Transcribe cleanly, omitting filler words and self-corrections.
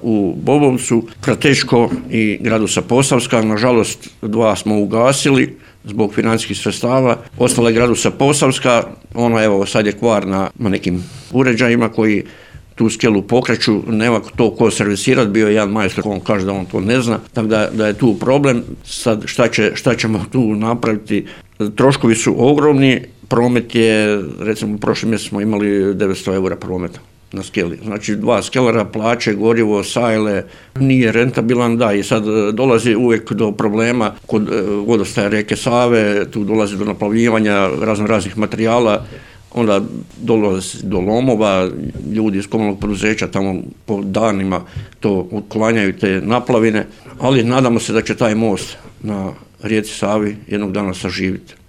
u Bobovcu, Kratečko i Gradusa Posavska. Nažalost, 2 smo ugasili zbog financijskih sredstava. Ostala je Gradusa Posavska, ona evo sad je kvar na nekim uređajima koji tu skelu pokreću, nema to ko servisirati, bio je jedan majstor, on kaže da on to ne zna, tako da je tu problem. Sad šta ćemo tu napraviti? Troškovi su ogromni, promet je, recimo prošli mjesec smo imali 900 eura prometa na skeli. Znači 2 skelera, plaće, gorivo, sajle, nije rentabilan, da, i sad dolazi uvijek do problema kod vodostaja rijeke Save, tu dolazi do naplavljivanja raznih materijala, onda dolazi do lomova, ljudi iz komunalnog poduzeća tamo po danima to otklanjaju te naplavine, ali nadamo se da će taj most na rijeci Savi jednog dana saživiti.